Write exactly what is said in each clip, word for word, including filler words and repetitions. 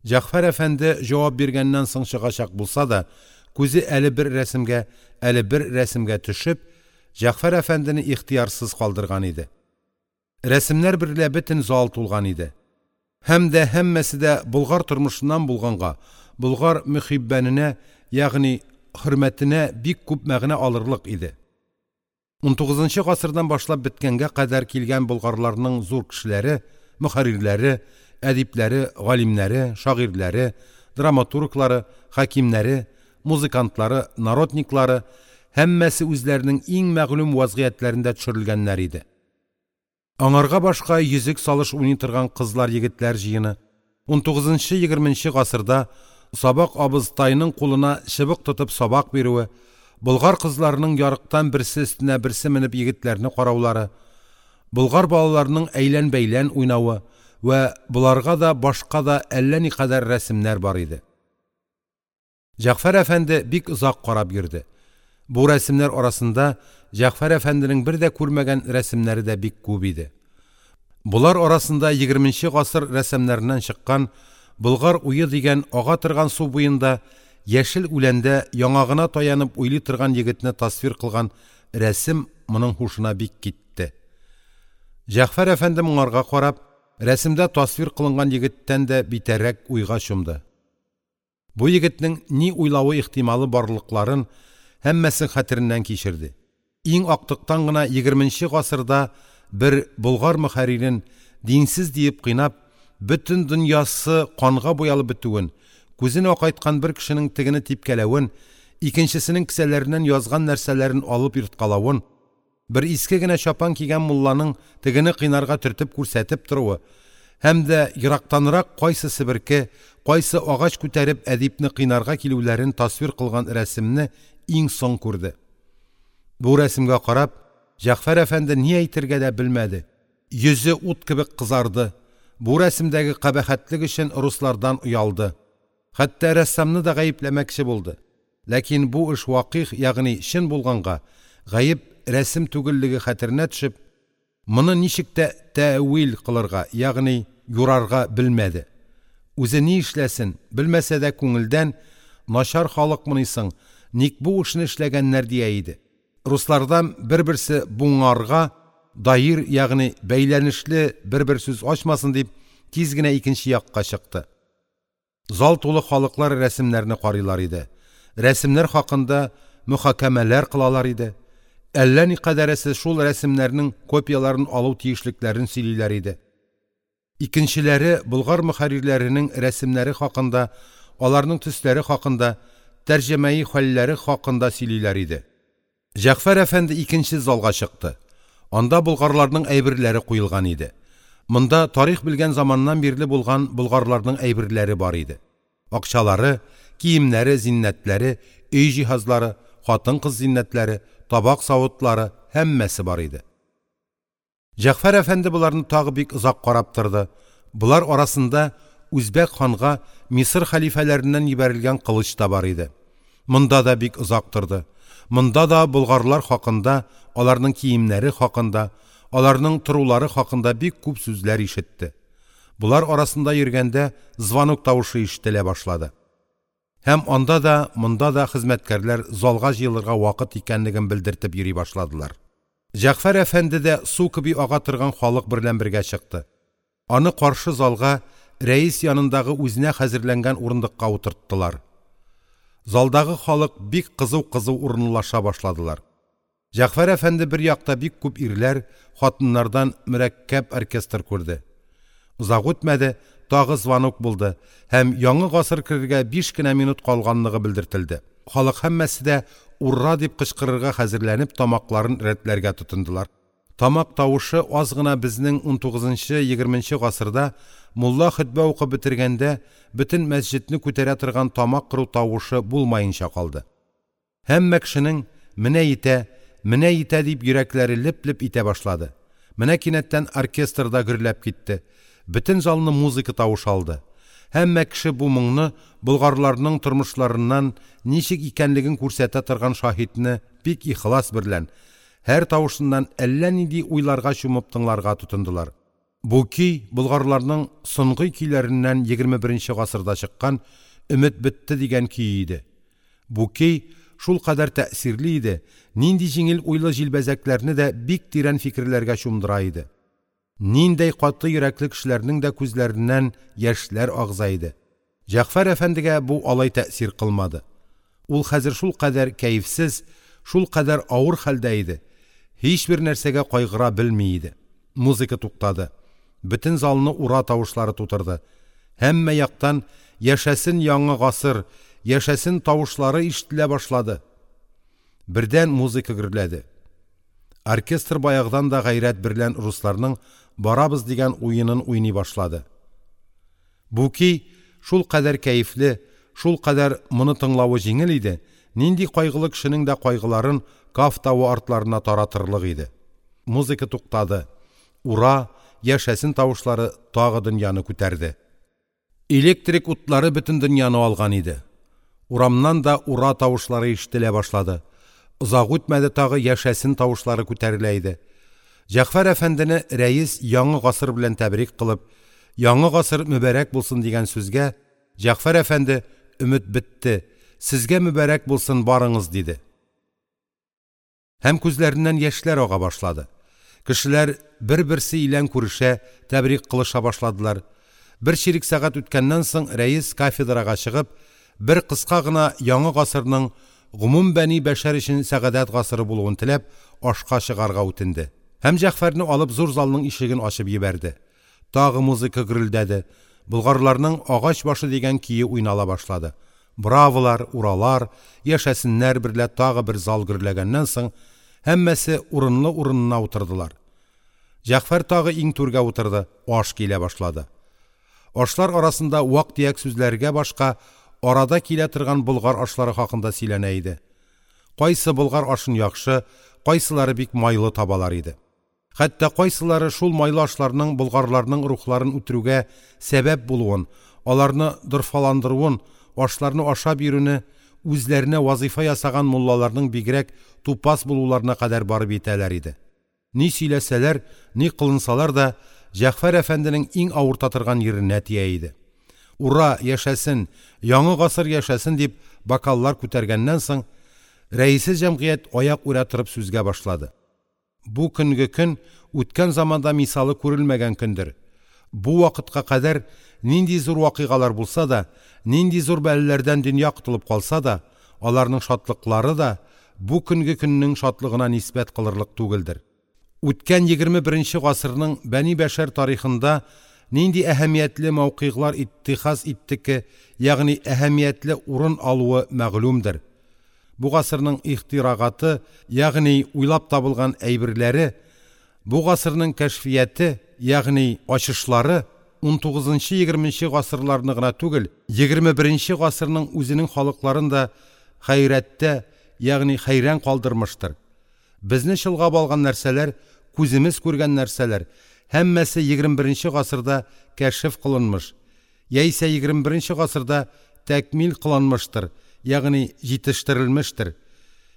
Җәгъфәр әфәнде җавап биргәннән соң чыгачак булса да, күзе әле бер рәсемгә, әле бер рәсемгә төшеп, Җәгъфәр әфәндене ихтыярсыз калдырган иде. Рәсемнәр берлә бөтен зал тулган иде. Һәм дә һәммәсе дә болгар тормышыннан булганга, болгар мөхиббәненә, ягъни хөрмәтенә бик күп мәгънә алырлык иде. Унтугызынчы гасырдан башлап беткәнгә кадәр килгән болгарларның зур кешеләре, мөхәррирләре, әдипләре, галимнәре, шагыйрьләре, драматурглары, хәкимнәре, музыкантлары, народниклары – һәммәсе үзләренең иң мәгълүм вазгыятьләрендә төшерелгәннәр иде. Аңарга башка йөзек салыш уйный торган кызлар-егетләр җыены, унтугызынчы-егерменче гасырда сабак абызтайның кулына чыбык тотып сабак бирүе, болгар кызларының ярыктан берсе өстенә берсе менеп егетләрне караулары, болгар балаларының әйлән-бәйлән уйнавы вә боларга да башка да әллә никадәр рәсемнәр бар иде. Җәгъфәр әфәнде бик озак карап йөрде. Бу рәсемнәр арасында Җәгъфәр әфәнденең бер дә күрмәгән рәсемнәре дә бик күп иде. Болар арасында егерменче гасыр рәссамнарыннан чыккан «Болгар уе» дигән ага торган су буенда яшел үләндә яңагына таянып уйлый торган егетне тасвир кылган рәсем моның һушына бик китте. Җәгъфәр әфәнде моңарга карап, рәсемдә тасвир кылынган егеттән дә битәррәк уйга чумды. Бу егетнең ни уйлавы ихтималы барлыкларын һәммәсен хәтереннән кичерде. Иң актыктан гына егерменче гасырда бер болгар мөхәррирен динсез диеп кыйнап, бөтен дөньясы канга буялып бетүен, күзен акайткан бер кешенең тегене типкәләвен, икенчесенең кесәләреннән язган нәрсәләрен алып йырткалавын, бер иске генә чапан кигән мулланың тегене кыйнарга төртеп күрсәтеп торуы һәм дә ерактанрак кайсы себерке, кайсы агач күтәреп әдипне кыйнарга килүләрен тасвир кылган рәсемне иң соң күрде. Бу рәсемгә карап, Җәгъфәр әфәнде ни әйтергә дә белмәде. Йөзе ут кебек кызарды. Бу рәсемдәге кабахәтлек өчен руслардан оялды. Хәтта рәссамны да гаепләмәкче булды. Ләкин бу эш вакыйг, ягъни чын булганга, гаеп рәсем түгеллеге хәтеренә төшеп, моны ничек тә тәэвил кылырга, ягъни юрарга белмәде. Үзе ни эшләсен, белмәсә дә күңелдән начар халыкмынисың, ник бу эшне эшләгәннәр дия иде. Руслардан бер-берсе буңарга даир, ягъни бәйләнешле бер-бер сүз ачмасын дип, тиз генә икенче якка чыкты. Зал тулы халыклар рәсемнәрне карыйлар иде. Рәсемнәр хакында мөхакәмәләр кылалар иде. Әллә никадәресе шул рәсемнәрнең копияләрен алу тиешлекләрен сөйлиләр иде. Икенчеләре болгар мөхәррирләренең рәсемнәре хакында, аларның төсләре хакында, тәрҗемәи хәлләре хакында сөйлиләр иде. Җәгъфәр әфәнде икенче залга чыкты. Анда болгарларның әйберләре куелган иде. Монда тарих белгән заманнан бирле булган болгарларның әйберләре бар иде. Акчалары, киемнәре, зиннәтләре, өй җиһазлары, хатын-кыз зиннәтләре, табак савытлары һәммәсе бар иде. Җәгъфәр әфәнде боларны тагы бик озак карап торды. Болар арасында Үзбәк ханга Мисыр хәлифәләреннән җибәрелгән кылыч та бар иде. Монда да бик озак торды. Монда да болгарлар хакында, аларның киемнәре хакында, аларның торулары хакында бик күп сүзләр ишетте. Болар арасында йөргәндә звонок тавышы ишетелә башлады. Һәм анда да, монда да хезмәткәрләр залга җыелырга вакыт икәнлеген белдертеп йөри башладылар. Җәгъфәр әфәнде дә су кеби ага торган халык берлән бергә чыкты. Аны каршы залга рәис янындагы үзенә хәзерләнгән урындыкка утырттылар. Залдагы халык бик кызу-кызу урынлаша башладылар. Җәгъфәр әфәнде бер якта бик күп ирләр, хатыннардан мөрәккәб оркестр күрде. Озак үтмәде, тагы звонок булды һәм яңа гасыр керергә биш кенә минут калганлыгы белдертелде. Халык һәммәсе дә «Ура!» дип кычкырырга хәзерләнеп тамакларын рәтләргә тотындылар. Тамак тавышы аз гына безнең унтугызынчы-егерменче гасырда мулла хөтбә укып бетергәндә бөтен мәсҗидне күтәрә торган тамак кыру тавышы булмаенча калды. Һәммә кешенең «менә итә, менә итә» дип йөрәкләре леп-леп итә башлады. Менә кинәттән оркестр да гөрләп китте. Бөтен залны музыка тавышы алды. Һәммә кеше бу моңны болгарларның тормышларыннан ничек икәнлеген күрсәтә торган шаһитне бик ихлас берлән, һәр тавышыннан әллә нинди уйларга чумып тыңларга тотындылар. Бу көй болгарларның соңгы көйләреннән егерме беренче гасырда чыккан «Өмет бетте» дигән көе иде. Бу көй шулкадәр тәэсирле иде, нинди җиңел уйлы җилбәзәкләрне дә бик тирән фикерләргә чумдыра иде. Ниндәй каты йөрәкле кешеләрнең дә күзләреннән яшьләр агыза иде. Җәгъфәр әфәндегә бу алай тәэсир кылмады. Ул хәзер шулкадәр кәефсез, шулкадәр авыр хәлдә иде. Һичбер нәрсәгә кайгыра белми иде. Музыка туктады. Бөтен залны ура тавышлары тутырды. Һәммә яктан «Яшәсен яңа гасыр, яшәсен» тавышлары ишетелә башлады. Бердән музыка гөрләде. Оркестр баягыдан да гайрәт берлән русларның «Барабыз» дигән уенын уйный башлады. Бу көй шулкадәр кәефле, шулкадәр моны тыңлавы җиңел иде, нинди кайгылы кешенең дә кайгыларын Каф тавы артларына таратырлык иде. Музыка туктады. Ура, яшәсен тавышлары тагы дөньяны күтәрде. Электрик утлары бөтен дөньяны алган иде. Урамнан да ура тавышлары ишетелә башлады. Озак үтмәде, тагы яшәсен тавышлары күтәрелә иде. Җәгъфәр әфәндене рәис яңа гасыр белән тәбрик кылып, «Яңа гасыр мөбарәк булсын» дигән сүзгә Җәгъфәр әфәнде: «Өмет бетте, сезгә мөбарәк булсын, барыңыз», – диде. Һәм күзләреннән яшьләр ага башлады. Кешеләр бер-берсе илән күрешә, тәбрик кылыша башладылар. Бер чирек сәгать үткәннән соң рәис кафедрага чыгып, бер кыска гына яңа гасырның гомум бәни бәшәр өчен сәгадәт гасыры булуын теләп, ашка чыгарга үтенде. Һәм Җәгъфәрне алып зур залның ишеген ачып җибәрде. Тагы музыка гөрелдәде. Болгарларның «Агач башы» дигән көе уйнала башлады. Браволар, уралар, яшәсеннәр берлә тагы бер зал гөрләгәннән соң һәммәсе урынлы-урынына утырдылар. Җәгъфәр тагы иң түргә утырды, аш килә башлады. Ашлар арасында вак-төяк сүзләргә башка арада килә торган болгар ашлары хакында сөйләнә иде. Кайсы болгар ашын яхшы, кайсылары бик майлы табалар иде. Хәтта кайсылары шул майлы ашларның болгарларның рухларын үтерүгә сәбәп булуын, аларны дорфаландыруын, ашларны ашап йөрүне үзләренә вазифа ясаган муллаларның бигрәк тупас булуларына кадәр барып җитәләр иде. Ни сөйләсәләр, ни кылынсалар да, Җәгъфәр әфәнденең иң авырта торган йиренә тия иде. «Ура, яшәсен, яңа гасыр яшәсен» дип бокаллар күтәргәннән соң, рәисе җәмгыять аяк үрә торып сүзгә башлады. Бу көнге көн үткән заманда мисалы күрелмәгән көндер. Бу вакытка кадәр нинди зур вакыйгалар булса да, нинди зур бәлаләрдән дөнья котылып калса да, аларның шатлыклары да бу көнге көннең шатлыгына нисбәт кылырлык түгелдер. Үткән егерме беренче гасырның бәни бәшәр тарихында нинди әһәмиятле мавқиглар иттихаз иттеке, ягъни әһәмиятле урын алуы мәгълүмдер. Бу гасырның ихтирагаты, ягъни уйлап табылган әйберләре, бу гасырның кәшфияте, ягъни ачышлары унтугызынчы-егерменче гасырларны гына түгел, егерме беренче гасырның үзенең халыкларын да хәйрәттә, ягъни хәйран калдырмыштыр. Безне чолгап алган нәрсәләр, күземез күргән нәрсәләр, һәммәсе егерме беренче гасырда кәшеф кылынмыш, яисә егерме беренче гасырда тәкмил кылынмыштыр, ягъни җитештерелмештер.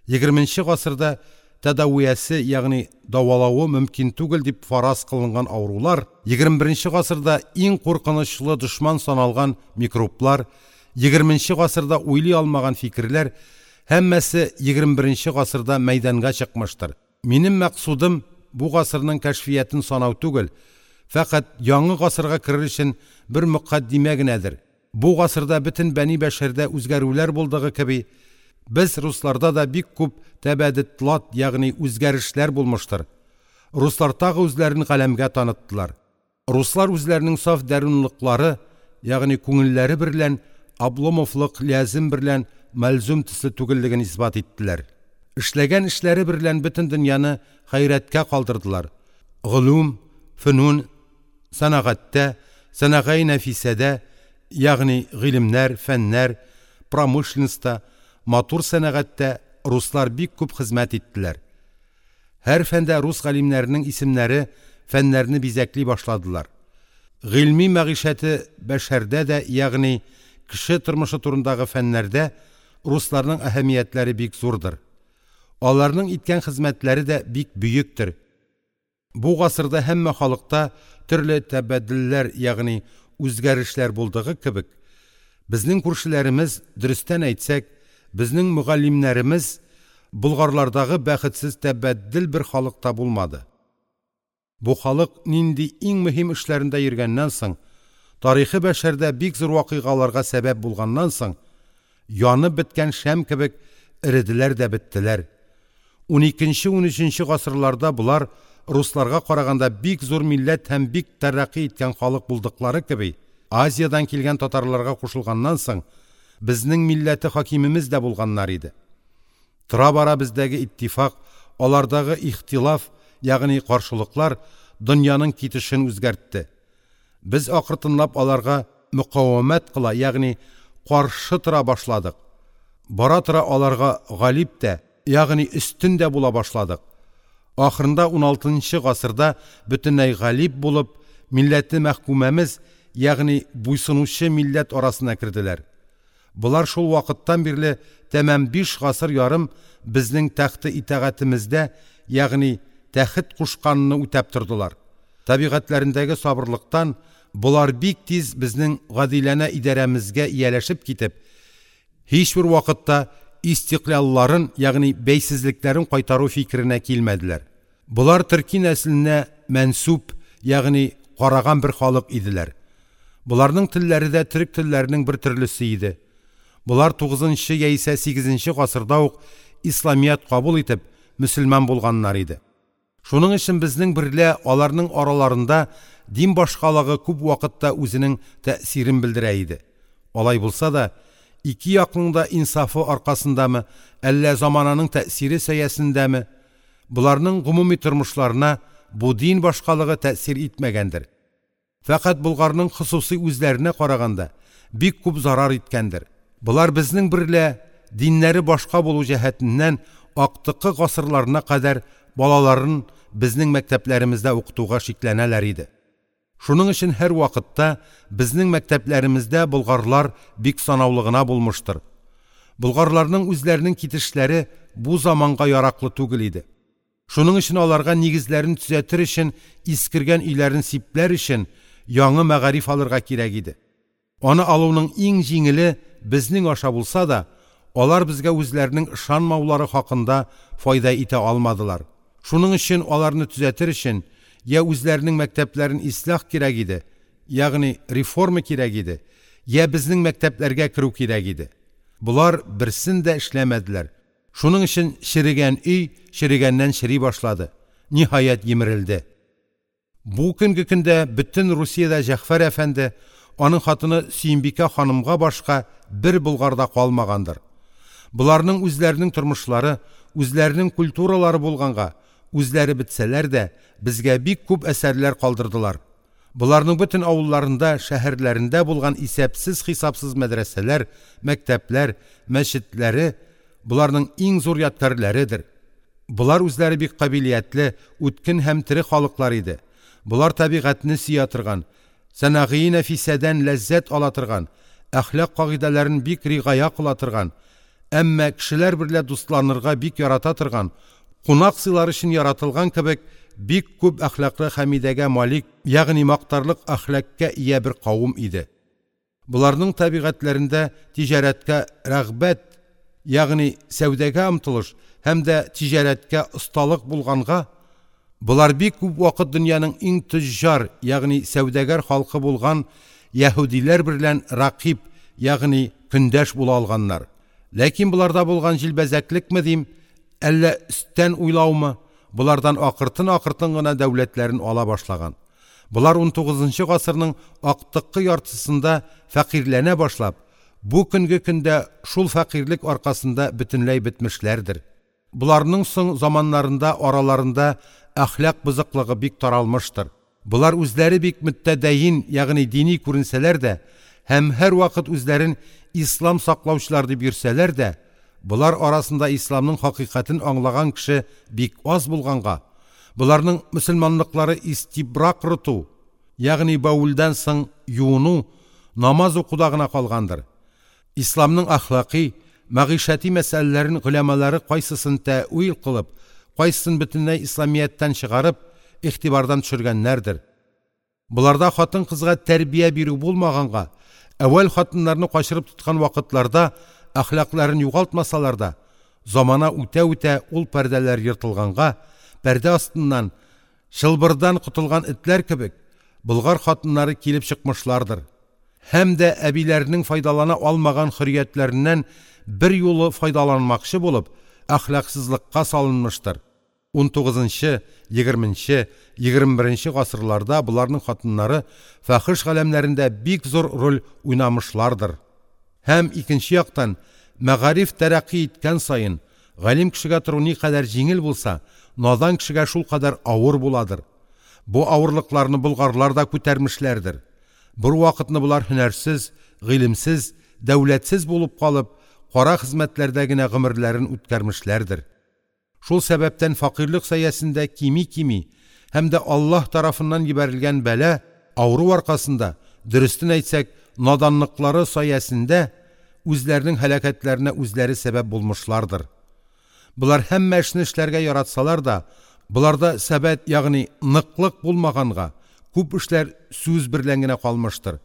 егерменче гасырда тәдавиясе, ягъни дәвалавы мөмкин түгел дип фараз кылынган авырулар, егерме беренче гасырда иң куркынычлы дошман саналган микроблар, егерменче гасырда уйлый алмаган фикерләр һәммәсе егерме беренче гасырда мәйданга чыкмыштыр. Минем мәкъсудым бу гасырның кәшфиятен санау түгел, фәкать яңа гасырга керер өчен бер мөкаддимә генәдер. Бу гасырда бөтен бәни бәшәрдә үзгәрүләр булдыгы кеби, без русларда да бик күп тәбәдетлат, ягъни үзгәрешләр булмыштыр. Руслар тагы үзләрен галәмгә таныттылар. Руслар үзләренең саф дәрунлыклары, ягъни күңелләре берлән Обломовлык лязем берлән мәлзум төсле түгеллеген исбат иттеләр. Эшләгән эшләре берлән бөтен дөньяны хәйрәткә калдырдылар. Гылум, фөнун, сәнәгатьтә, сәнәгай нәфисәдә, ягъни гыйлемнәр, фәннәр, промышленностьта, матур сәнәгатьтә руслар бик күп хезмәт иттеләр. Һәр фәндә рус галимнәренең исемнәре фәннәрне бизәкли башладылар. Гыйльми мәгыйшәте бәшәрдә дә, ягъни кеше тормышы турындагы фәннәрдә русларның әһәмиятләре бик зурдыр. Аларның иткән хезмәтләре дә бик бөектер. Бу гасырда һәммә халыкта төрле тәбәдделләр, ягъни үзгәрешләр булдыгы кебек, безнең күршеләремез, дөрестән әйтсәк, безнең мөгаллимнәремез болгарлардагы бәхетсез тәбәддел бер халыкта булмады. Бу халык нинди иң мөһим эшләрендә йөргәннән соң, тарихы бәшәрдә бик зур вакыйгаларга сәбәп булганнан соң, янып беткән шәм кебек эределәр дә беттеләр. Уникенче-унөченче гасырларда болар русларга караганда бик зур милләт һәм бик тәрәкъкый иткән халык булдыклары кеби, Азиядән килгән татарларга кушылганнан соң, безнең милләте хакимемез дә булганнар иде. Тора-бара бездәге иттифак, алардагы ихтилаф, ягъни каршылыклар дөньяның китешен үзгәртте. Без акыртынлап аларга мөкавәмәт кыла, ягъни каршы тора башладык. Бара-тора аларга галиб тә, ягъни өстен дә була башладык. Ахырында уналтынчы гасырда бөтенләй галиб булып, милләте мәхкүмәмез, ягъни буйсынучы милләт арасына керделәр. Болар шул вакыттан бирле тәмам биш гасыр ярым безнең тәхте итагатемездә, ягъни тәхет кушканны үтәп тордылар. Табигатьләрендәге сабырлыктан болар бик тиз безнең гадиләнә идарәмезгә ияләшеп китеп, һичбер вакытта истиклялларын, ягъни бәйсезлекләрен кайтару фикеренә килмәделәр. Болар төрки нәселенә мәнсүб, ягъни караган бер халык иделәр. Боларның телләре дә төрек телләренең бер төрлесе иде. Болар тугызынчы яисә сигезенче гасырда ук исламият кабул итеп, мөселман булганнар иде. Шуның өчен безнең берлә аларның араларында дин башкалыгы күп вакытта үзенең тәэсирен белдерә иде. Алай булса да, ике якның да инсафы аркасындамы, әллә замананың тәэсире сәясендәме, боларның гомуми тормышларына бу дин башкалыгы тәэсир итмәгәндер. Фәкать Болгарның хосуси үзләренә караганда бик күп зарар иткәндер. Болар безнең берлә диннәре башка булу җәһәтеннән актыкы гасырларына кадәр балаларын безнең мәктәпләремездә укытуга шикләнәләр иде. Шуның өчен һәр вакытта безнең мәктәпләремездә болгарлар бик санаулы гына булмыштыр. Болгарларның үзләренең китешләре бу заманга яраклы түгел иде. Шуның өчен аларга нигезләрен төзәтер өчен, искергән өйләрен сипләр өчен яңа мәгариф алырга кирәк иде. Аны алуның иң җиңеле безнең аша булса да, алар безгә үзләренең ышанмаулары хакында файда итә алмадылар. Шуның өчен аларны төзәтер өчен я үзләренең мәктәпләрен ислах кирәк иде, ягъни реформа кирәк иде, я безнең мәктәпләргә керү кирәк иде. Болар берсен дә эшләмәделәр. Шуның өчен черегән өй черегәннән чери башлады. Ниһаять емерелде. Бу көнге көндә бөтен Русиядә Җәгъфәр әфәнде, аның хатыны Сөембикә ханымга башка бер Болгарда калмагандыр. Боларның үзләренең тормышлары, үзләренең культуралары булганга, үзләре бетсәләр дә, безгә бик күп әсәрләр калдырдылар. Боларның бөтен авылларында, шәһәрләрендә булган исәпсез-хисапсыз мәдрәсәләр, мәктәпләр, мәчетләре боларның иң зур ядкәрләредер. Болар үзләре бик кабилиятле, үткен һәм тере халыклар иде. Болар табигатьне сөя торган, сәнәгый нәфисәдән ләззәт ала торган, әхлак кагыйдәләрен бик ригая кыла торган, әмма кешеләр берлә дусланырга бик ярата торган, кунак сыйлар өчен яратылган кебек бик күп әхлаклы хәмидәгә малик, ягъни мактарлык әхлакка ия бер кавым иде. Боларның табигатьләрендә тиҗарәткә рәгъбәт, ягъни сәүдәгә омтылыш һәм дә тиҗарәткә осталык булганга, болар бик күп вакыт дөньяның иң төҗҗар, ягъни сәүдәгәр халкы булган яһүдиләр берлән ракиб, ягъни көндәш була алганнар. Ләкин боларда булган җилбәзәклекме дим, әллә өстән уйлаумы, болардан акыртын-акыртын гына дәүләтләрен ала башлаган. Болар унтугызынчы гасырның актыккы яртысында фәкыйрьләнә башлап, бу көнге көндә шул фәкыйрьлек аркасында бөтенләй бетмешләрдер. Боларның соң заманнарында араларында әхлак бозыклыгы бик таралмыштыр. Болар үзләре бик мөттәдәин, ягъни дини күренсәләр дә, һәм һәр вакыт үзләрен ислам саклаучылар дип йөрсәләр дә, болар арасында исламның хакыйкатен аңлаган кеше бик аз булганга, боларның мөселманлыклары истибрак рыту, ягъни баулдан соң юыну, намаз укуда гына калгандыр. Исламның әхлакый, мәгыйшәти мәсьәләләрен голямалары кайсысын тәэвил кылып, кайсысын бөтенләй исламияттән чыгарып, игътибардан төшергәннәрдер. Боларда хатын-кызга тәрбия бирү булмаганга, әүвәл хатыннарны качырып тоткан вакытларда әхлакларын югалтмасалар да, замана үтә-үтә ул пәрдәләр ертылганга, пәрдә астыннан, чылбырдан котылган этләр кебек, болгар хатыннары килеп чыкмышлардыр. Һәм дә әбиләренең файдалана алмаган хөрриятләреннән берьюлы файдаланмакчы булып, әхлаксызлыкка салынмыштыр. унтугызынчы, егерменче, егерме беренче гасырларда боларның хатыннары фахеш галәмнәрендә бик зур роль уйнамышлардыр. Һәм икенче яктан, мәгариф тәрәкъкый иткән саен, галим кешегә тору никадәр җиңел булса, надан кешегә шулкадәр авыр буладыр. Бу авырлыкларны болгарлар да күтәрмешләрдер. Бер вакытны болар һөнәрсез, гыйлемсез, дәүләтсез булып калып, кара хезмәтләрдә генә гомерләрен үткәрмешләрдер. Шул сәбәптән фәкыйрьлек сәясендә кими-кими һәм дә Аллаһ тарафыннан җибәрелгән бәла, авыру аркасында, дөрестен әйтсәк, наданлыклары сәясендә үзләренең һәлакәтләренә үзләре сәбәп булмышлардыр. Болар һәммә эшне эшләргә яратсалар да, боларда сәбәт, ягъни ныклык булмаганга, күп эшләр сүз берлән генә калмыштыр.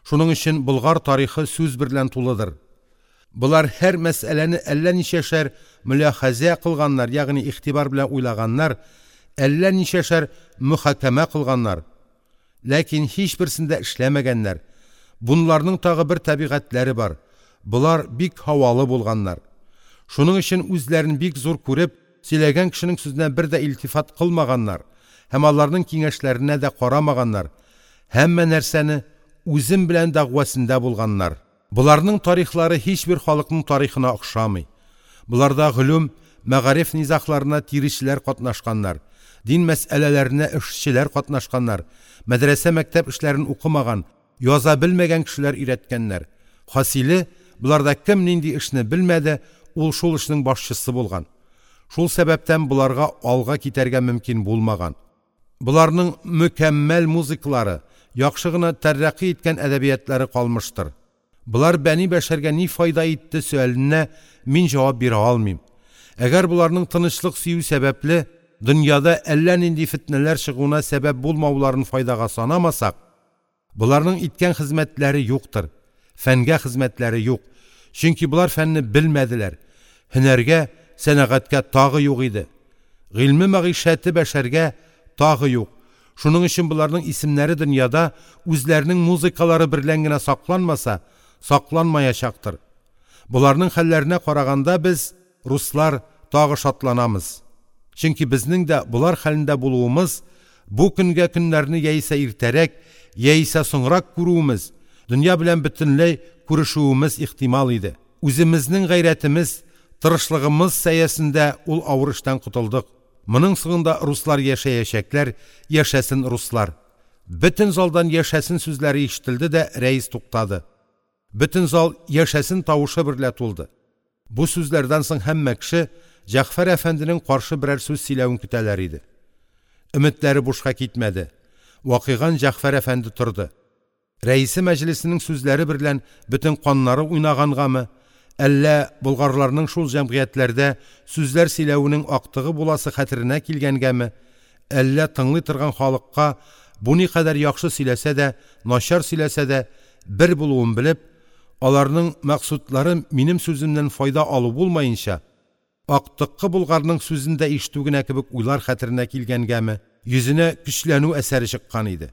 Шуның өчен болгар тарихы сүз берлән тулыдыр. Болар һәр мәсьәләне әллә ничәшәр мөляхәзә кылганнар, ягъни игътибар белән уйлаганнар, әллә ничәшәр мөхакәмә кылганнар. Ләкин һичберсендә эшләмәгәннәр. Бунларның тагы бер табигатьләре бар. Болар бик һавалы булганнар. Шуның өчен үзләрен бик зур күреп, сөйләгән кешенең сүзенә бер дә илтифат кылмаганнар һәм аларның киңәшләренә дә карамаганнар. Һәммә нәрсәне үзем белән дәгъвасында булганнар. Боларның тарихлары һичбер халыкның тарихына охшамый. Боларда гыйлем, мәгариф низагларына тиречеләр катнашканнар, дин мәсьәләләренә эшчеләр катнашканнар, мәдрәсә мәктәп эшләрен укымаган, яза белмәгән кешеләр өйрәткәннәр. Хасиле, боларда кем нинди эшне белмәде, ул шул эшнең башчысы булган. Шул сәбәптән боларга алга китәргә мөмкин булмаган. Боларның мөкәммәл музыкалары, яхшы гына тәрәкъкый иткән әдәбиятлары калмыштыр. Болар бәни бәшәргә ни файда итте сөаленә мин җавап бирә алмыйм. Әгәр боларның тынычлык сөю сәбәпле дөньяда әллә нинди фетнәләр чыгуына сәбәп булмауларын файдага санамасак, боларның иткән хезмәтләре юктыр, фәнгә хезмәтләре юк. Чөнки болар фәнне белмәделәр. Һөнәргә, сәнәгатькә тагы юк иде. Гыйльме мәгыйшәте бәшәргә тагы юк. Шуның өчен боларның исемнәре дөньяда үзләренең музыкалары берлән генә сакланмаса, сакланмаячактыр. Боларның хәлләренә караганда без, руслар, тагы шатланамыз. Чөнки безнең дә болар хәлендә булуымыз, бу көнгә көннәрне яисә иртәрәк, яисә соңрак күрүемез, дөнья белән бөтенләй күрешүемез ихтимал иде. Үземезнең гайрәтемез, тырышлыгымыз сәясендә ул авыр эштән котылдык. Моның соңында руслар яшәячәкләр, яшәсен руслар. Бөтен залдан яшәсен сүзләре ишетелде дә рәис туктады. Бөтен зал яшәсен тавышы берлә тулды. Бу сүзләрдән соң һәммә кеше Җәгъфәр әфәнденең каршы берәр сүз сөйләвен көтәләр иде. Өметләре бушка китмәде. Вакыйган Җәгъфәр әфәнде торды. Рәисе мәҗлесенең сүзләре берлән бөтен каннары уйнагангамы, әллә болгарларның шул җәмгыятьләрдә сүзләр сөйләвенең актыгы буласы хәтеренә килгәнгәме, әллә тыңлый торган халыкка бу никадәр яхшы сөйләсә дә, начар сөйләсә дә бер булуын белеп, аларның максатлары минем сүземнән файда алу булмаенча, актыккы булгарның сүзен дә ишетү генә кебек уйлар хәтеренә килгәнгәме, йөзенә көчләнү әсәре чыккан иде.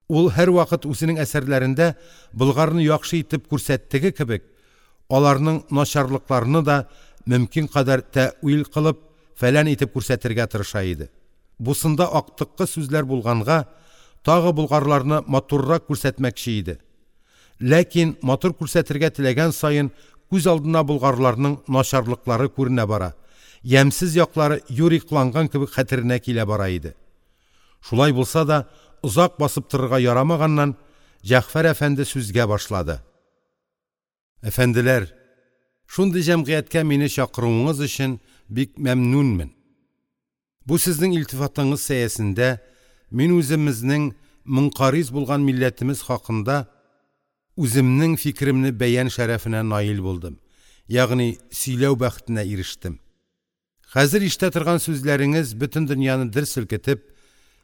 Ул һәрвакыт үзенең әсәрләрендә булгарны яхшы итеп күрсәттеге кебек, аларның начарлыкларыны да мөмкин кадәр тәэвил кылып, фәлән итеп күрсәтергә тырыша иде. Бусында актыккы сүзләр булганга, тагы булгарларны матуррак күрсәтмәкче иде. Ләкин матур күрсәтергә теләгән саен күз алдына булгарларның начарлыклары күренә бара, ямьсез яклары юрикланган кебек хәтеренә килә бара иде. Шулай булса да, озак басып торырга ярамаганнан Җәгъфәр әфәнде сүзгә башлады. Әфәнделәр, шундый җәмгыятькә мине чакыруыңыз өчен бик мәмнүнмен. Бу сезнең илтифатыңыз сәясендә мин үземезнең мөнкариз булган милләтемез хакында үземнең фикеремне бәян шәрәфенә наил булдым, ягъни сөйләү бәхетенә ирештем. Хәзер ишетә торган сүзләреңез бөтен дөньяны дер селкетеп,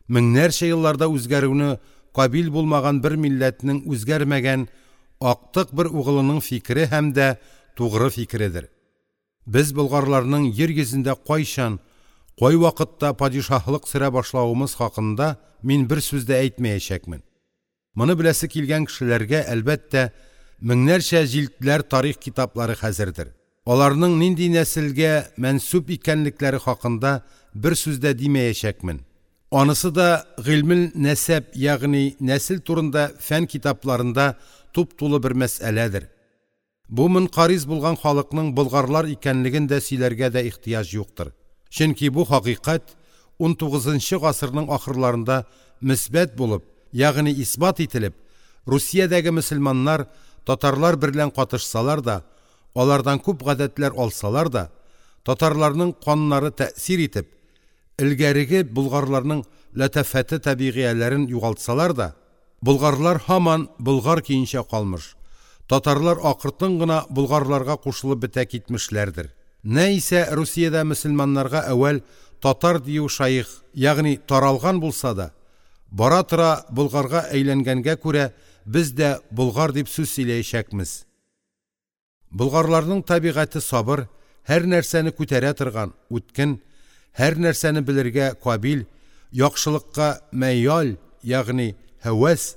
Меңнәрчә елларда үзгәрүне кабил булмаган бер милләтнең үзгәрмәгән актык бер угылының фикере һәм дә тугры фикередер. Без болгарларның йир йөзендә кайчан, кай вакытта падишаһлык сөрә башлавымыз хакында мин бер сүз дә әйтмәячәкмен. Моны беләсе килгән кешеләргә, әлбәттә, меңнәрчә җилдләр тарих китаплары хәзердер. Аларның нинди нәселгә мәнсүб икәнлекләре хакында бер сүз дә димәячәкмен. Анысы да гыйльмел нәсәб, ягъни нәсел турында фән китапларында туп-тулы бер мәсьәләдер. Бу мөнкариз булган халыкның болгарлар икәнлеген дә сөйләргә дә ихтыяҗ юктыр. Чөнки бу хакыйкать унтугызынчы гасырның ахырларында мөсбәт булып, ягъни исбат ителеп, Русиядәге мөселманнар татарлар берлән катышсалар да, алардан күп гадәтләр алсалар да, татарларның каннары тәэсир итеп, элгәреге болгарларның ләтафәте табигыяләрен югалтсалар да, болгарлар һаман болгар көенчә калмыш, татарлар акыртын гына болгарларга кушылып бетә китмешләрдер. Нә исә Русиядә мөселманнарга әүвәл татар дию шайх, ягъни таралган булса да, бара-тора болгарга әйләнгәнгә күрә без дә болгар дип сүз сөйләячәкмез. Болгарларның табигате сабыр, һәр нәрсәне күтәрә торган, үткен, һәр нәрсәне белергә кабил, яхшылыкка мәял, ягъни һәвәс,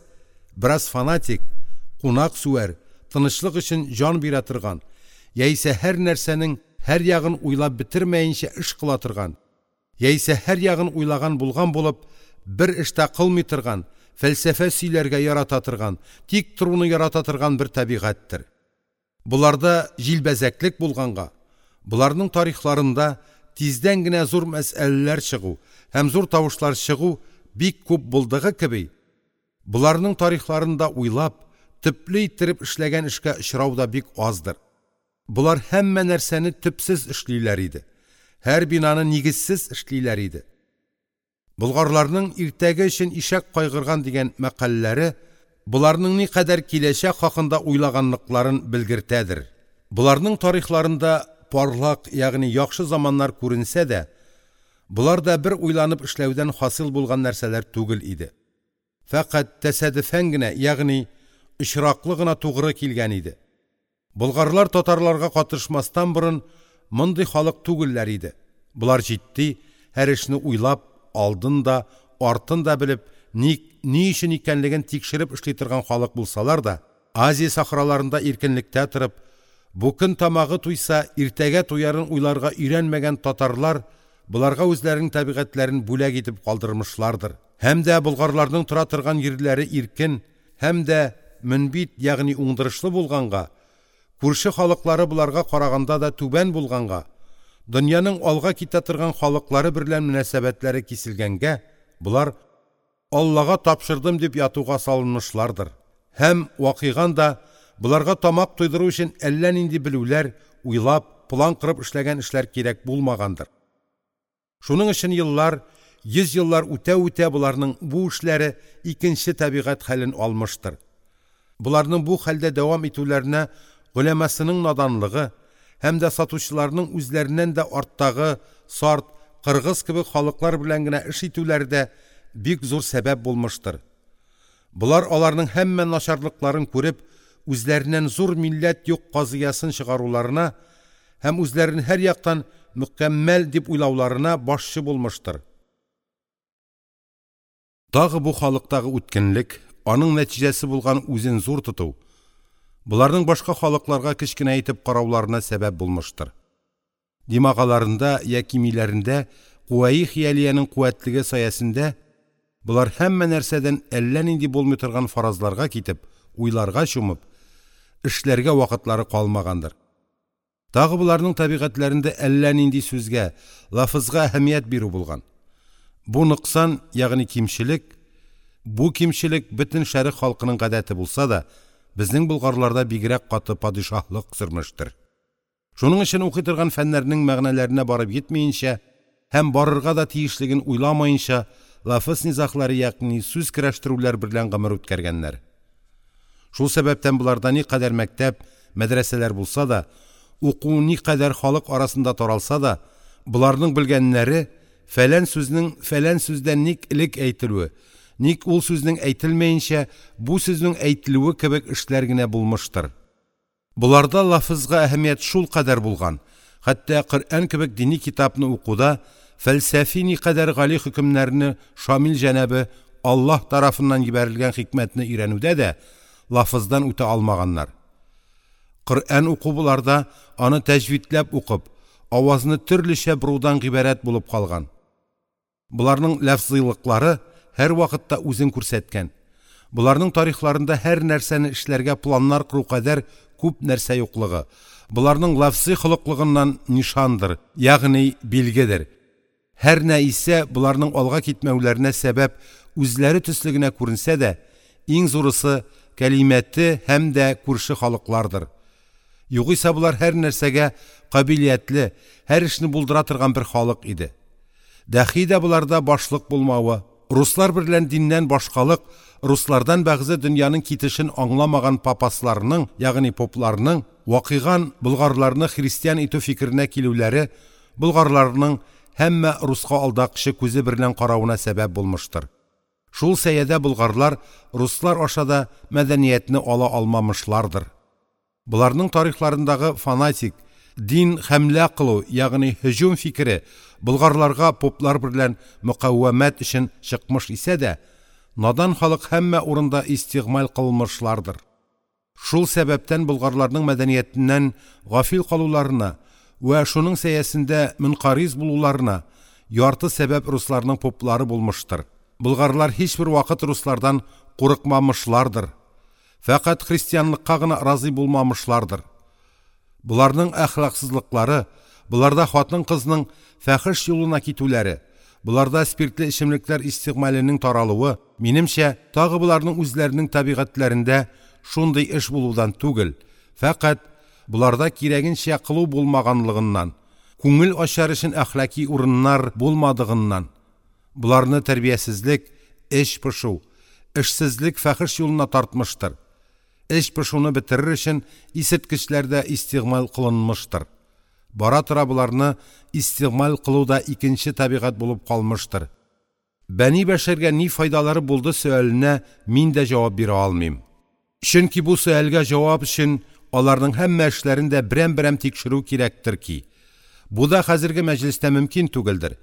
бераз фанатик, кунак сүәр, тынычлык өчен җан бирә торган, яисә һәр нәрсәнең һәр ягын уйлап бетермәенчә эш кыла торган, яисә һәр ягын уйлаган булган булып, бер эштә кылмый торган, фәлсәфә сөйләргә ярата торган, тик торуны ярата торган бер табигатьтер. Буларда җилбәзәклек булганга, буларның тарихларында тиздән генә зур мәсьәләләр чыгу һәм зур тавышлар чыгу бик күп булдыгы кеби, буларның тарихларында уйлап, төпле иттереп эшләгән эшкә очрау да бик аздыр. Булар һәммә нәрсәне төпсез эшлиләр иде. Һәр бинаны нигезсез эшлиләр иде. Болгарларның иртәге өчен ишәк кайгырган дигән мәкальләре буларның никадәр киләчәк хакында уйлаганлыкларын белгертәдер. Буларның тарихларында парлак, ягъни яхшы заманнар күренсә дә, булар да бер уйланып эшләүдән хасил булган нәрсәләр түгел иде. Фәкать тәсадефән генә, ягъни очраклы гына тугры килгән иде. Болгарлар татарларга катышмастан борын мондый халык түгелләр иде. Булар җитди, һәр эшне уйлап, алдын да, артын да белеп, ник, ни өчен икәнлеген тикшереп эшли торган халык булсалар да, Азия сахраларында иркенлектә торып, бу көн тамагы туйса, иртәгә туярын уйларга өйрәнмәгән татарлар буларга үзләренең табигатьләрен бүләк итеп калдырмышлардыр. Һәм дә болгарларның тора торган йирләре иркен, һәм дә мөнбит, ягъни уңдырышлы булганга, күрше халыклары буларга караганда да түбән булганга, дөньяның алга китә торган халыклары берлән мөнәсәбәтләре киселгәнгә, булар Аллага тапшырдым дип ятуга салынмышлардыр. Һәм вакыйган да буларга тамак туйдыру өчен әллә нинди белүләр, уйлап, план кырып эшләгән эшләр кирәк булмагандыр. Шуның өчен еллар, йөз еллар үтә-үтә буларның бу эшләре икенче табигать хәлен алмыштыр. Буларның бу хәлдә дәвам итүләренә голямасының наданлыгы һәм дә сатучыларның үзләреннән дә арттагы сарт, кыргыз кебек халыклар белән генә эш итүләре дә бик зур сәбәп булмыштыр. Булар аларның һәммә начарлыкларын күреп, үзләреннән зур милләт юк казыясын чыгаруларына һәм үзләрен һәр яктан мөкәммәл дип уйлауларына башчы булмыштыр. Тагы бу халыктагы үткенлек, аның нәтиҗәсе булган үзен зур тоту, буларның башка халыкларга кечкенә итеп карауларына сәбәп булмыштыр. Димагаларында яки миләрендә куәи хыялиянең куәтлеге саясендә булар һәммә нәрсәдән әллә нинди булмый торган фаразларга китеп, уйларга чумып, эшләргә вакытлары калмагандыр. Тагы буларның табигатьләрендә әллә нинди сүзгә, лафызга әһәмият бирү булган. Бу ноксан, ягъни кимчелек, бу кимчелек бөтен шәрык халкының гадәте булса да, безнең болгарларда бигрәк каты падишаһлык сөрмештер. Шуның өчен укый торган фәннәрнең мәгънәләренә барып йитмәенчә һәм барырга да тиешлеген уйламаенча, лафыз низахлары, ягъни сүз көрәштерүләр берлән гомер үткәргәннәр. Шул сәбәптән буларда никадәр мәктәп, мәдрәсәләр булса да, уку никадәр халык арасында таралса да, буларның белгәннәре Фәлән сүзнең фәлән сүздән ник элек әйтелүе, ник ул сүзнең әйтелмәенчә бу сүзнең әйтелүе кебек эшләр генә булмыштыр. Боларда лафызга әһәмият шулкадәр булган, хәтта Коръән кебек дини китапны укуда фәлсәфи никадәр гали хөкемнәрне шамил җәнабе Аллаһ тарафыннан җибәрелгән хикмәтне өйрәнүдә дә лафыздан үтә алмаганнар. Коръән уку боларда аны тәҗвидләп укып, авазны төрлечә борудан гыйбарәт булып калган. Боларның лафзыйлыклары һәрвакытта үзен күрсәткән. Боларның тарихларында һәр нәрсәне эшләргә планнар кору кадәр күп нәрсә юклыгы, боларның лафзый холыклыгыннан нишандыр, ягъни билгедер. Һәр нә исә боларның алга китмәүләренә сәбәп үзләре төсле генә күренсә дә, иң зурысы кәлимәте һәм дә күрше халыклардыр. Югыйсә болар һәр нәрсәгә кабилиятле, һәр эшне булдыра торган бер халык иде. Дәхи дә боларда башлык булмавы, руслар берлән диннән башкалык, руслардан бәгъзе дөньяның китешен аңламаган папасларның, ягъни попларның вакыйган болгарларны христиан итү фикеренә килүләре болгарларның һәммә руска алдакчы күзе берлән каравына сәбәп булмыштыр. Шул сәядә болгарлар руслар аша да мәдәниятне ала алмамышлардыр. Боларның тарихларындагы фанатик, дин хәмлә кылу, ягъни һөҗүм фикере болгарларга поплар берлән мөкавәмәт өчен чыкмыш исә дә, надан халык һәммә урында истигъмаль кылмышлардыр. Шул сәбәптән болгарларның мәдәниятеннән гафил калуларына вә шуның сәясендә мөнкариз булуларына ярты сәбәп русларның поплары булмыштыр. Болгарлар һичбер вакыт руслардан курыкмамышлардыр. Фәкать христианлыкка гына разый булмамышлардыр. Боларның әхлаксызлыклары, боларда хатын-кызның фахиш юлына китүләре, боларда спиртле эчемлекләр истигъмаленең таралуы, минемчә, тагы боларның үзләренең табигатьләрендә шундый эш булудан түгел, фәкать боларда кирәгенчә кылу булмаганлыгыннан, күңел ачар өчен әхлаки урыннар булмадыгыннан, боларны тәрбиясезлек, эч пошу, эшсезлек фахиш юлына тартмыштыр. Эч пошуны бетерер өчен исерткечләр дә истигъмаль кылынмыштыр. Бара-тора боларны истигъмаль кылу да икенче табигать булып калмыштыр. Бәни бәшәргә ни файдалары булды сөаленә мин дә җавап бирә алмыйм. Чөнки бу сөальгә җавап өчен аларның һәммә эшләрен дә берәм-берәм тикшерү кирәктер ки, бу да хәзерге мәҗлестә мөмкин түгелдер.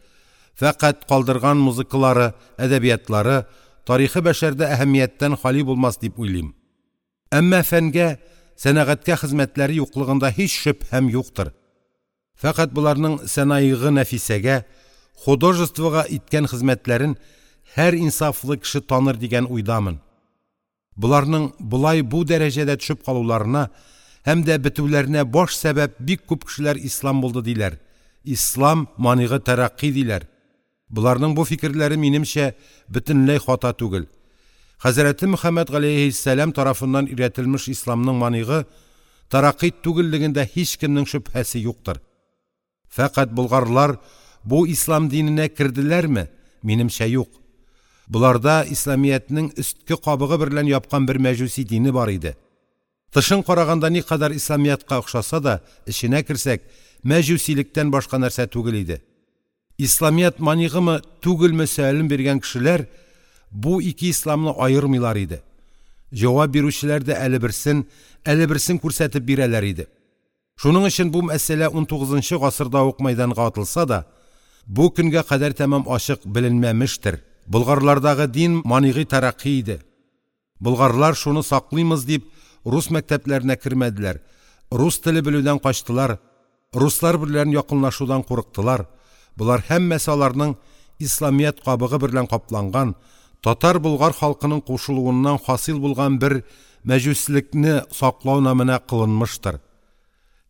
Фәкать калдырган музыкалары, әдәбиятлары тарихы бәшәрдә әһәмияттән хали булмас дип уйлыйм. Әмма фәнгә, сәнәгатькә хезмәтләре юклыгында һич шөбһәм юктыр. Фәкать боларның сәнаигы нәфисәгә, художествога иткән хезмәтләрен һәр инсафлы кеше таныр дигән уйдамын. Боларның болай бу дәрәҗәдә төшеп калуларына һәм дә бетүләренә баш сәбәп бик күп кешеләр ислам булды диләр. Ислам манигы тәрәкъкый диләр. Боларның бу фикерләре минемчә бөтенләй хата түгел. Хәзрәте Мөхәммәд галәйһиссәлам тарафыннан өйрәтелмеш исламның манигы тәрәкъкый түгеллегендә һичкемнең шөбһәсе юктыр. Фәкать болгарлар бу ислам диненә керделәрме? Минемчә юк. Боларда исламиятнең өстке кабыгы берлән япкан бер мәҗүси дине бар иде. Тышын караганда никадәр исламиятка охшаса да, эченә керсәк, мәҗүсилектән башка нәрсә түгел иде. Исламият манигымы, түгелме сөален биргән кешеләр бу ике исламны аермыйлар иде. Җавап бирүчеләр дә әле берсен, әле берсен күрсәтеп бирәләр иде. Шуның өчен бу мәсьәлә унтугызынчы гасырда ук мәйданга атылса да, бу көнгә кадәр тәмам ачык беленмәмештер. Болгарлардагы дин манигы тәрәкъкый иде. Болгарлар шуны саклыймыз дип рус мәктәпләренә кермәделәр, рус теле белүдән качтылар, руслар белән якынлашудан курыктылар. Болар һәммәсе аларның исламият кабыгы белән капланган, татар-болгар халкының кушылуыннан хасил булган бер мәҗүслекне саклау намына кылынмыштыр.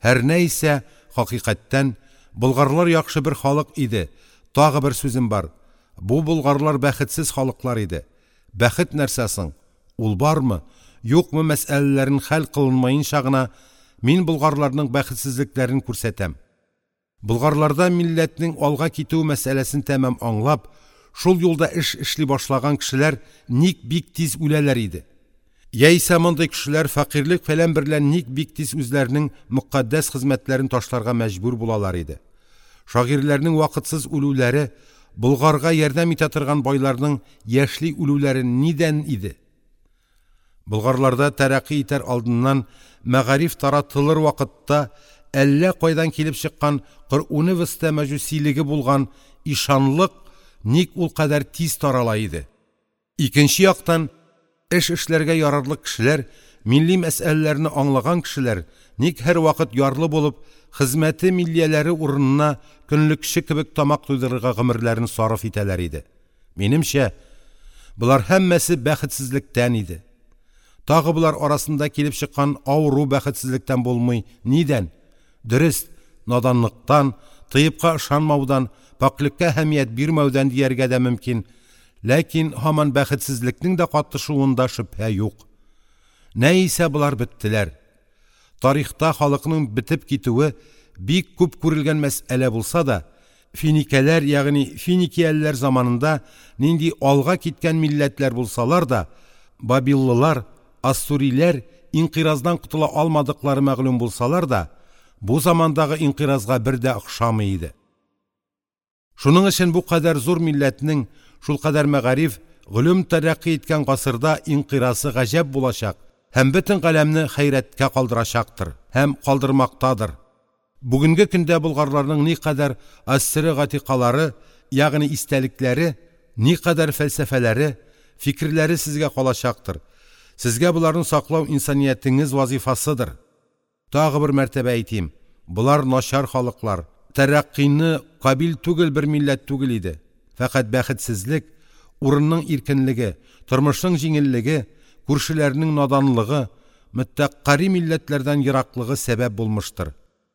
Һәр нә исә, хакыйкатьтән, болгарлар яхшы бер халык иде. Тагы бер сүзем бар. Бу болгарлар бәхетсез халыклар иде. Бәхет нәрсә соң? Ул бармы, юкмы мәсьәләләрен хәл кылынмаенча гына мин болгарларның бәхетсезлекләрен күрсәтәм. Болгарларда милләтнең алга китү мәсьәләсен тәмам аңлап, шул юлда эш эшли башлаган кешеләр ник бик тиз үләләр иде. Яисә мондый кешеләр фәкыйрьлек фәлән берлән ник бик тиз үзләренең мөкаддәс хезмәтләрен ташларга мәҗбүр булалар иде. Шагыйрьләрнең вакытсыз үлүләре, Болгарга ярдәм итә торган байларның яшьли үлүләре нидән иде? Болгарларда тәрәкъкый итәр алдыннан мәгариф таратылыр вакытта әллә кайдан килеп чыккан коръүнвеста мәҗүсилеге булган ишанлык ник ул кадәр тиз тарала иде? Икенче яктан, эш эшләргә ярарлык кешеләр, милли мәсьәләләрне аңлаган кешеләр ник һәрвакыт ярлы булып, хезмәте миллияләре урынына көнлекче кебек тамак туйдырырга гомерләрен сарыф итәләр иде? Минемчә, болар һәммәсе бәхетсезлектән иде. Тагы болар арасында килеп чыккан авыру бәхетсезлектән булмый, нидән? Дөрест, наданлыктан, тыйбка ышанмаудан, пакьлеккә әһәмият бирмәүдән дияргә дә мөмкин, ләкин һаман бәхетсезлекнең дә катышуында шөбһә юк. Нә исә болар беттеләр. Тарихта халыкның бетеп китүе бик күп күрелгән мәсьәлә булса да, финикәләр, ягъни финикиялеләр заманында нинди алга киткән милләтләр булсалар да, бабиллылар, ассуриләр инкыйраздан котыла алмадыклары мәгълүм булсалар да, бу замандагы инкыйразга бер дә охшамый иде. Шуның өчен бу кадәр зур милләтнең шулкадәр мәгариф, гыйлем тәрәкъкый иткән гасырда инкыйрасы гаҗәп булачак һәм бөтен галәмне хәйрәткә калдырачактыр һәм калдырмактадыр. Бүгенге көндә болгарларның никадәр ассыры гатикалары, ягъни истәлекләре, никадәр фәлсәфәләре, фикерләре сезгә калачактыр. Сезгә боларны саклау инсаниятеңез вазифасыдыр. Тагы бер мәртәбә әйтим, болар начар халыклар, тәрәкъкыйны кабил түгел бер милләт түгел иде. Фәкать бәхетсезлек, урынның иркенлеге, тормышның җиңеллеге, күршеләренең наданлыгы, мөтәкарри милләтләрдән ераклыгы сәбәп булмыштыр.